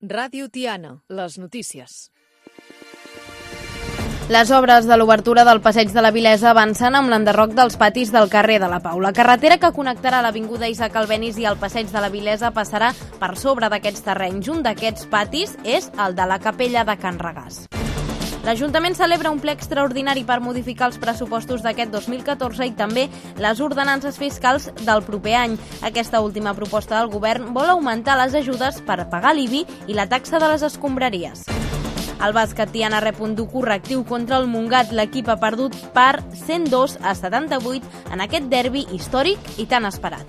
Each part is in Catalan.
Ràdio Tiana, les notícies. Les obres de l'obertura del Passeig de la Vilesa avancen amb l'enderroc dels patis del carrer de la Pau. La carretera que connectarà l'avinguda Isaac Albéniz i el Passeig de la Vilesa passarà per sobre d'aquests terrenys. Un d'aquests patis és el de la Capella de Can Regàs. L'Ajuntament celebra un ple extraordinari per modificar els pressupostos d'aquest 2014 i també les ordenances fiscals del proper any. Aquesta última proposta del govern vol augmentar les ajudes per pagar l'IBI i la taxa de les escombraries. El bàsquet Tiana rep un dur correctiu contra el Montgat. L'equip ha perdut per 102-78 en aquest derbi històric i tan esperat.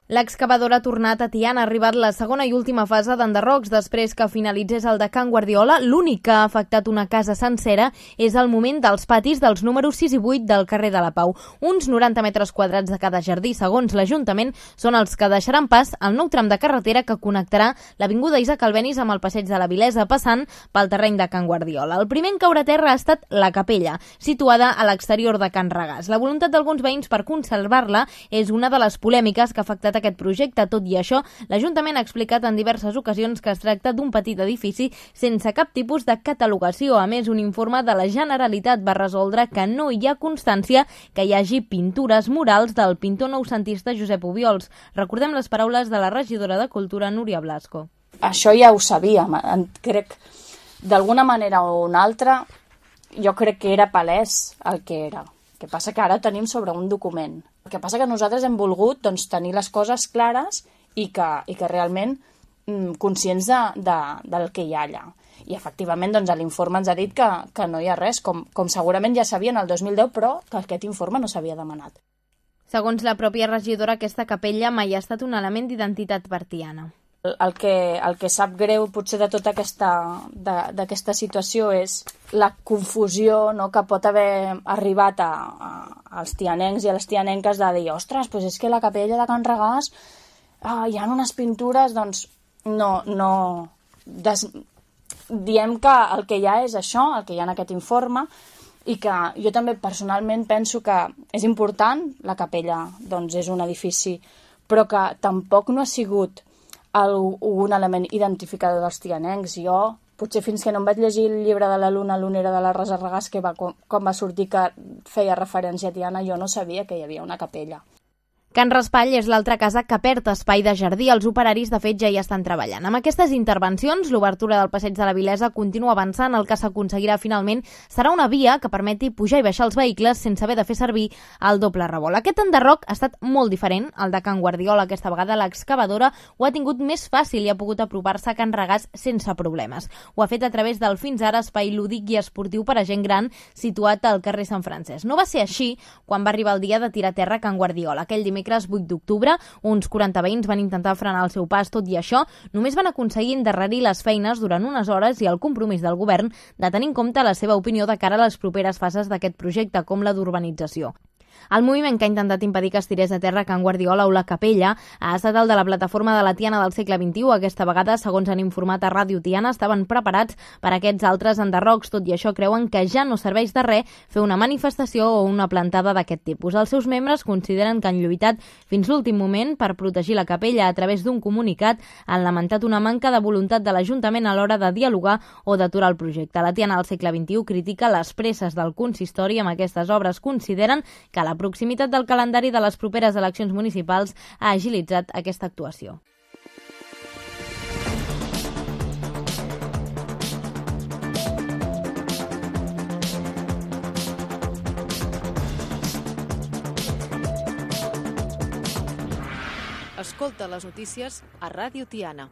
L'excavadora ha tornat a Tiana. Ha arribat la segona i última fase d'enderrocs després que finalitzés el de Can Guardiola. L'únic que ha afectat una casa sencera és el moment dels patis dels números 6 i 8 del carrer de la Pau. Uns 90 metres quadrats de cada jardí, segons l'Ajuntament, són els que deixaran pas al nou tram de carretera que connectarà l'avinguda Isaac Albéniz amb el Passeig de la Vilesa, passant pel terreny de Can Guardiola. El primer en caure a terra ha estat la capella, situada a l'exterior de Can Regàs. La voluntat d'alguns veïns per conservar-la és una de les polèmiques que ha afectat aquest projecte. Tot i això, l'Ajuntament ha explicat en diverses ocasions que es tracta d'un petit edifici sense cap tipus de catalogació. A més, un informe de la Generalitat va resoldre que no hi ha constància que hi hagi pintures murals del pintor noucentista Josep Obiols. Recordem les paraules de la regidora de Cultura, Núria Blasco. Això ja ho sabíem. Crec, d'alguna manera o una altra, jo crec que era palès el que era. El que passa que ara tenim sobre un document. El que passa que nosaltres hem volgut tenir les coses clares i que realment conscients del que hi ha allà. I efectivament l'informe ens ha dit que no hi ha res, com segurament ja sabien el 2010, però que aquest informe no s'havia demanat. Segons la pròpia regidora, aquesta capella mai ha estat un element d'identitat per Tiana. El que sap greu potser de tota d'aquesta situació és la confusió, no, que pot haver arribat als tianencs i a les tianenques de dir, ostres, doncs és que la capella de Can Regàs hi ha unes pintures, doncs no. Diem que el que hi ha és això, el que hi ha en aquest informe, i que jo també personalment penso que és important, la capella doncs és un edifici, però que tampoc no ha sigut un element identificador dels tianencs. Jo, potser fins que no em vaig llegir el llibre de la Luna Lunera de la Rosa Regàs, quan va sortir que feia referència a Tiana, jo no sabia que hi havia una capella. Can Raspall és l'altra casa que perd espai de jardí. Els operaris, de fet, ja hi estan treballant. Amb aquestes intervencions, l'obertura del Passeig de la Vilesa continua avançant. El que s'aconseguirà finalment serà una via que permeti pujar i baixar els vehicles sense haver de fer servir el doble revolt. Aquest enderroc ha estat molt diferent al de Can Guardiola. Aquesta vegada l'excavadora ho ha tingut més fàcil i ha pogut apropar-se a Can Regàs sense problemes. Ho ha fet a través del fins ara espai lúdic i esportiu per a gent gran situat al carrer Sant Francesc. No va ser així quan va arribar el dia de tirar a terra Can Guardiola. Aquell dimecres 8 d'octubre, uns 40 veïns van intentar frenar el seu pas. Tot i això, només van aconseguir endarrerir les feines durant unes hores i el compromís del govern de tenir en compte la seva opinió de cara a les properes fases d'aquest projecte, com la d'urbanització. El moviment que ha intentat impedir que es tirés a terra Can Guardiola o la capella ha estat el de la plataforma de la Tiana del segle XXI. Aquesta vegada, segons han informat a Ràdio Tiana, estaven preparats per a aquests altres enderrocs. Tot i això, creuen que ja no serveix de res fer una manifestació o una plantada d'aquest tipus. Els seus membres consideren que han lluitat fins l'últim moment per protegir la capella. A través d'un comunicat han lamentat una manca de voluntat de l'Ajuntament a l'hora de dialogar o d'aturar el projecte. La Tiana del segle XXI critica les presses del consistori amb aquestes obres. Consideren que la proximitat del calendari de les properes eleccions municipals ha agilitzat aquesta actuació. Escolta les notícies a Ràdio Tiana.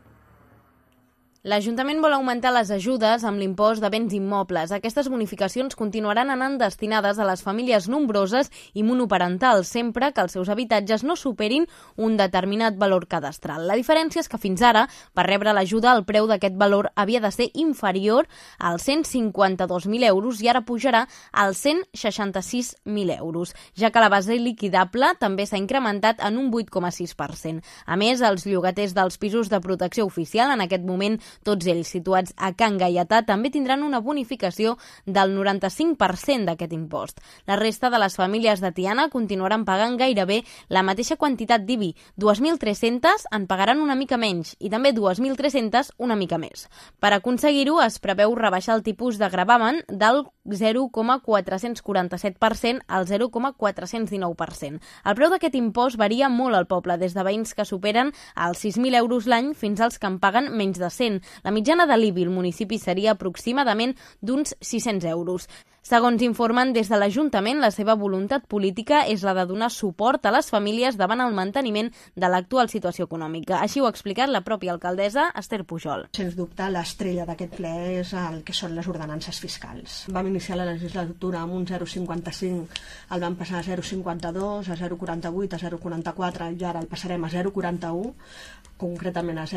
L'Ajuntament vol augmentar les ajudes amb l'impost de béns immobles. Aquestes bonificacions continuaran anant destinades a les famílies nombroses i monoparentals, sempre que els seus habitatges no superin un determinat valor cadastral. La diferència és que fins ara, per rebre l'ajuda, el preu d'aquest valor havia de ser inferior als 152.000 euros i ara pujarà als 166.000 euros, ja que la base liquidable també s'ha incrementat en un 8,6%. A més, els llogaters dels pisos de protecció oficial en aquest moment Tots ells situats a Can Gaietà també tindran una bonificació del 95% d'aquest impost. La resta de les famílies de Tiana continuaran pagant gairebé la mateixa quantitat d'IBI. 2.300 en pagaran una mica menys i també 2.300 una mica més. Per aconseguir-ho, es preveu rebaixar el tipus de gravamen del 0,447% al 0,419%. El preu d'aquest impost varia molt al poble, des de veïns que superen els 6.000 euros l'any fins als que en paguen menys de 100. La mitjana de l'IBI al municipi seria aproximadament d'uns 600 euros. Segons informen des de l'Ajuntament, la seva voluntat política és la de donar suport a les famílies davant el manteniment de l'actual situació econòmica. Així ho ha explicat la pròpia alcaldessa, Esther Pujol. Sens dubte, l'estrella d'aquest ple és el que són les ordenances fiscals. Vam iniciar la legislatura amb un 0,55, el vam passar a 0,52, a 0,48, a 0,44 i ara el passarem a 0,41, concretament a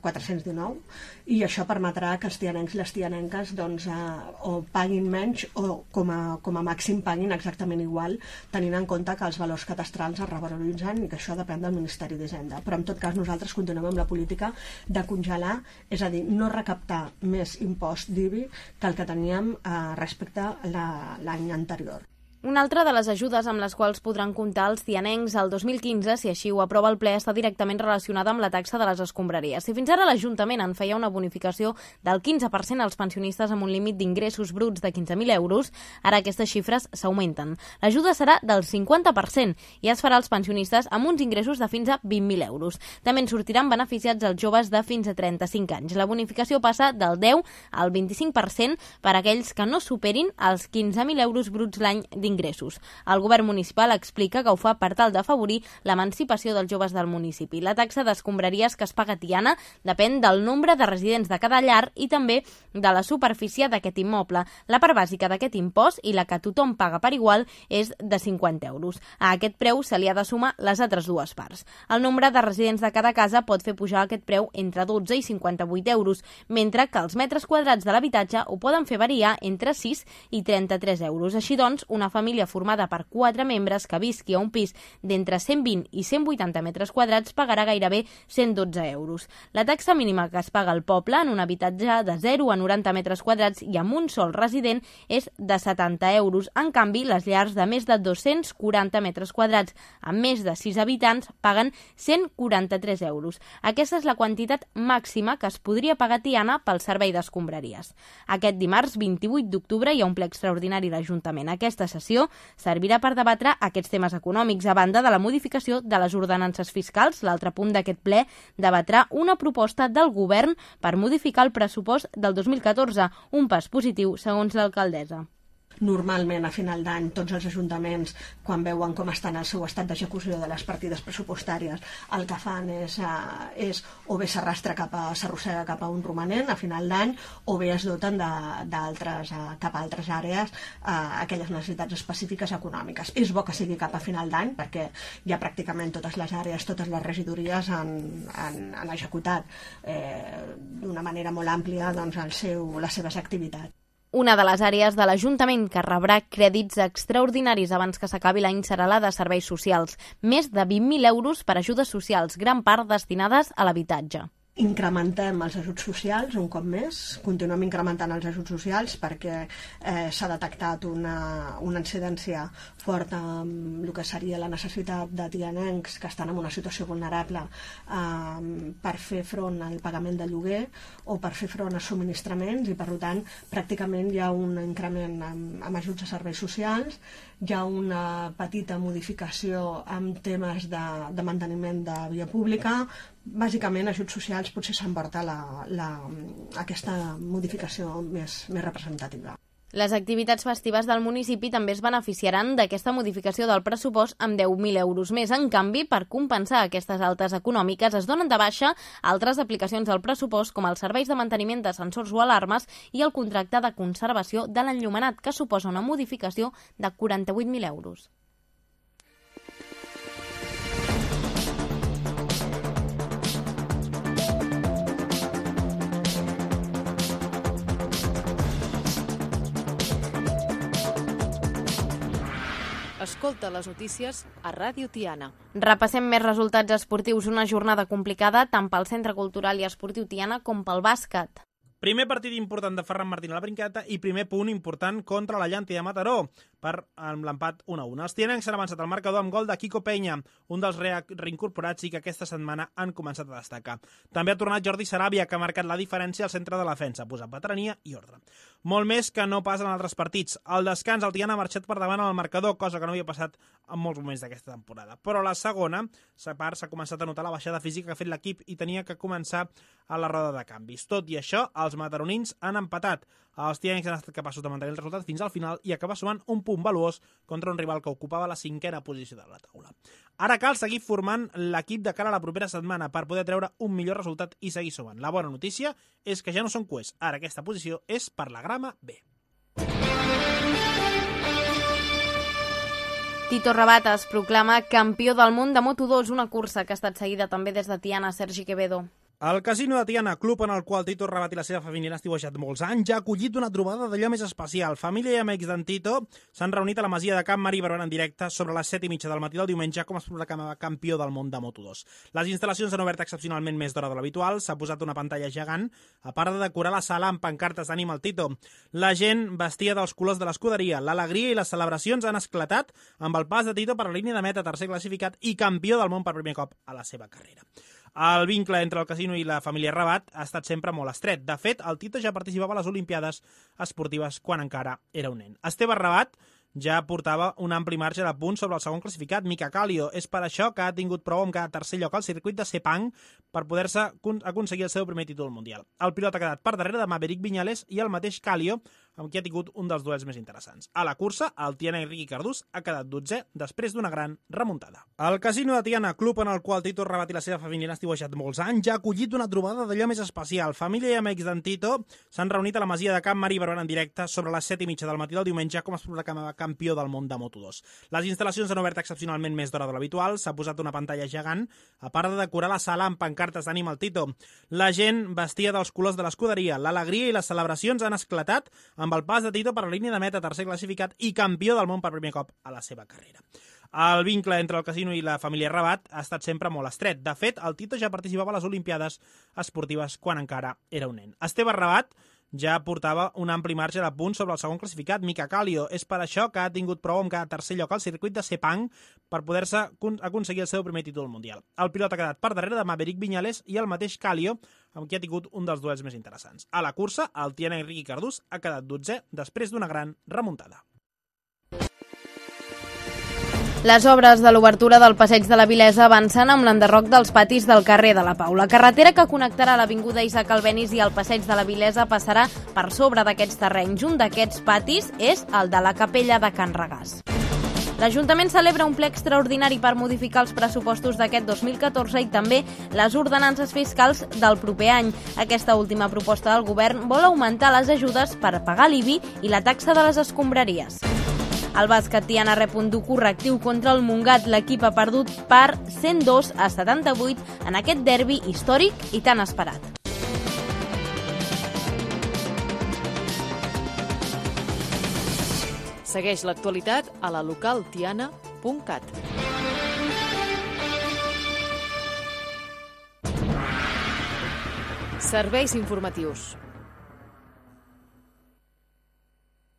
419, i això permetrà que els tianencs i les tianenques o paguin menys o com a màxim paguin exactament igual, tenint en compte que els valors catastrals es revaloritzen i que això depèn del Ministeri d'Hisenda. Però en tot cas nosaltres continuem amb la política de congelar, és a dir, no recaptar més impost d'IBI que el que teníem respecte a l'any anterior. Una altra de les ajudes amb les quals podran comptar els tianencs el 2015, si així ho aprova el ple, està directament relacionada amb la taxa de les escombraries. Si fins ara l'Ajuntament en feia una bonificació del 15% als pensionistes amb un límit d'ingressos bruts de 15.000 euros, ara aquestes xifres s'augmenten. L'ajuda serà del 50% i es farà als pensionistes amb uns ingressos de fins a 20.000 euros. També en sortiran beneficiats els joves de fins a 35 anys. La bonificació passa del 10 al 25% per a aquells que no superin els 15.000 euros bruts l'any d'ingressos. El govern municipal explica que ho fa per tal d'afavorir l'emancipació dels joves del municipi. La taxa d'escombraries que es paga a Tiana depèn del nombre de residents de cada llar i també de la superfície d'aquest immoble. La part bàsica d'aquest impost i la que tothom paga per igual és de 50 euros. A aquest preu se li ha de sumar les altres dues parts. El nombre de residents de cada casa pot fer pujar aquest preu entre 12 i 58 euros, mentre que els metres quadrats de l'habitatge ho poden fer variar entre 6 i 33 euros. Així doncs, una família formada per 4 membres que visqui a un pis d'entre 120 i 180 metres quadrats pagarà gairebé 112 euros. La taxa mínima que es paga al poble en un habitatge de 0 a 90 metres quadrats i amb un sol resident és de 70 euros. En canvi, les llars de més de 240 metres quadrats amb més de 6 habitants paguen 143 euros. Aquesta és la quantitat màxima que es podria pagar a Tiana pel servei d'escombraries. Aquest dimarts 28 d'octubre hi ha un ple extraordinari a l'Ajuntament. Aquesta sessió servirà per debatre aquests temes econòmics, a banda de la modificació de les ordenances fiscals. L'altre punt d'aquest ple debatrà una proposta del govern per modificar el pressupost del 2014, un pas positiu, segons l'alcaldessa. Normalment, a final d'any, tots els ajuntaments, quan veuen com estan el seu estat d'execució de les partides pressupostàries, el que fan és o bé s'arrossega cap a un romanent a final d'any, o bé es doten cap a altres àrees aquelles necessitats específiques econòmiques. És bo que sigui cap a final d'any, perquè ja pràcticament totes les àrees, totes les regidories han executat d'una manera molt àmplia les seves activitats. Una de les àrees de l'Ajuntament que rebrà crèdits extraordinaris abans que s'acabi l'any serà la de serveis socials. Més de 20.000 euros per ajudes socials, gran part destinades a l'habitatge. Incrementem els ajuts socials un cop més, continuem incrementant els ajuts socials perquè s'ha detectat una incidència forta amb el que seria la necessitat de tianencs que estan en una situació vulnerable per fer front al pagament de lloguer o per fer front a subministraments, i per tant pràcticament hi ha un increment amb ajuts a serveis socials, hi ha una petita modificació amb temes de manteniment de via pública. Bàsicament, ajuts socials potser s'emporta aquesta modificació més representativa. Les activitats festives del municipi també es beneficiaran d'aquesta modificació del pressupost amb 10.000 euros més. En canvi, per compensar aquestes altes econòmiques, es donen de baixa altres aplicacions del pressupost, com els serveis de manteniment de sensors o alarmes i el contracte de conservació de l'enllumenat, que suposa una modificació de 48.000 euros. Escolta les notícies a Ràdio Tiana. Repassem més resultats esportius. Una jornada complicada tant pel Centre Cultural i Esportiu Tiana com pel bàsquet. Primer partit important de Ferran Martín a la Brinqueta i primer punt important contra la Llàntia de Mataró per l'empat 1-1. Els tianencs s'han avançat al marcador amb gol de Quico Peña, un dels reincorporats i que aquesta setmana han començat a destacar. També ha tornat Jordi Saràbia, que ha marcat la diferència al centre de la defensa, posant veterania i ordre. Molt més que no pas en altres partits. Al descans el Tiana ha marxat per davant al marcador, cosa que no havia passat en molts moments d'aquesta temporada. Però a la segona part s'ha començat a notar la baixada física que ha fet l'equip i tenia que començar a la roda de canvis. Tot i això, els mataronins han empatat. Els tianencs han estat capaços de mantenir el resultat fins al final i acabar sumant un punt valuós contra un rival que ocupava la 5a posició de la taula. Ara cal seguir formant l'equip de cara a la propera setmana per poder treure un millor resultat i seguir sumant. La bona notícia és que ja no són cuers. Ara aquesta posició és per la grama B. Tito Rabat es proclama campió del món de Moto2, una cursa que ha estat seguida també des de Tiana. Sergi Quevedo. El Casino de Tiana, club en el qual Tito Rabat i la seva família han estiuejat molts anys, ja ha acollit una trobada d'allò més especial. Família i amics d'en Tito s'han reunit a la masia de Can Marí Barberà en directe sobre les 7:30 del matí del diumenge com es proclamava campió del món de Moto2. Les instal·lacions han obert excepcionalment més d'hora de l'habitual, s'ha posat una pantalla gegant, a part de decorar la sala amb pancartes d'ànim al Tito. La gent vestia dels colors de l'escuderia, l'alegria i les celebracions han esclatat amb el pas de Tito per la línia de meta, tercer classificat i campió del món per primer cop a la seva carrera. El vincle entre el casino i la família Rabat ha estat sempre molt estret. De fet, el Tito ja participava a les Olimpiades esportives quan encara era un nen. Esteve Rabat ja portava un ampli marge de punts sobre el segon classificat, Mika Kallio. És per això que ha tingut prou amb cada tercer lloc al circuit de Sepang per poder-se aconseguir el seu primer títol mundial. El pilot ha quedat per darrere de Maverick Viñales i el mateix Kallio, amb qui ha tingut un dels duels més interessants. A la cursa, el tianenc Riqui Cardús ha quedat 12è després d'una gran remuntada. El Casino de Tiana, club en el qual Tito Rabat i la seva família han estiuejat molts anys, ja ha acollit una trobada d'allò més especial. Família i amics d'en Tito s'han reunit a la masia de Can Marí Barberà en directe sobre les 7:30 del matí del diumenge com es proclamava campió del món de Moto2. Les instal·lacions han obert excepcionalment més d'hora de l'habitual, s'ha posat una pantalla gegant, a part de decorar la sala amb pancartes d'ànim al Tito. La gent vestia dels colors de l'escuderia, l'alegria i les celebracions han esclatat amb el pas de Tito per la línia de meta, tercer classificat i campió del món per primer cop a la seva carrera. El vincle entre el casino i la família Rabat ha estat sempre molt estret. De fet, el Tito ja participava a les Olimpiades esportives quan encara era un nen. Esteve Rabat ja portava un ampli marge de punts sobre el segon classificat, Mika Kallio. És per això que ha tingut prou amb cada tercer lloc al circuit de Sepang per poder-se aconseguir el seu primer títol mundial. El pilot ha quedat per darrere de Maverick Viñales i el mateix Kallio, amb qui ha tingut un dels duels més interessants. A la cursa, el tianenc Riqui Cardús ha quedat 12è després d'una gran remuntada. Les obres de l'obertura del Passeig de la Vilesa avancen amb l'enderroc dels patis del carrer de la Pau. La carretera que connectarà l'avinguda Isaac Albéniz i el Passeig de la Vilesa passarà per sobre d'aquests terrenys. Un d'aquests patis és el de la capella de Can Regàs. L'Ajuntament celebra un ple extraordinari per modificar els pressupostos d'aquest 2014 i també les ordenances fiscals del proper any. Aquesta última proposta del govern vol augmentar les ajudes per pagar l'IBI i la taxa de les escombraries. El bàsquet Tiana rep un dur correctiu contra el Montgat. L'equip ha perdut per 102-78 en aquest derbi històric i tan esperat. Segueix l'actualitat a la localtiana.cat. Serveis informatius.